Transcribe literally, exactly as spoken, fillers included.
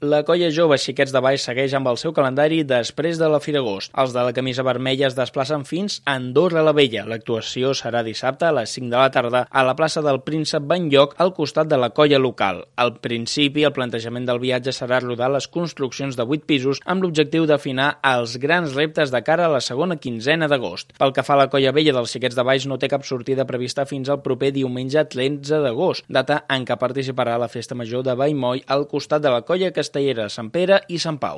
La colla jove Xiquets de Valls segueix amb el seu calendari després de la Fira Agost. Els de la camisa vermella es desplacen fins a Andorra la Vella. L'actuació serà dissabte a les cinc de la tarda a la plaça del Príncep Benlloc, al costat de la colla local. Al principi, el plantejament del viatge serà rodar les construccions de vuit pisos amb l'objectiu d'afinar els grans reptes de cara a la segona quinzena d'agost. Pel que fa a la colla vella dels Xiquets de Valls, no té cap sortida prevista fins al proper diumenge tretze d'agost, data en què participarà a la Festa Major de Vallmoll al costat de la colla castellera Sant Pere i Sant Pau.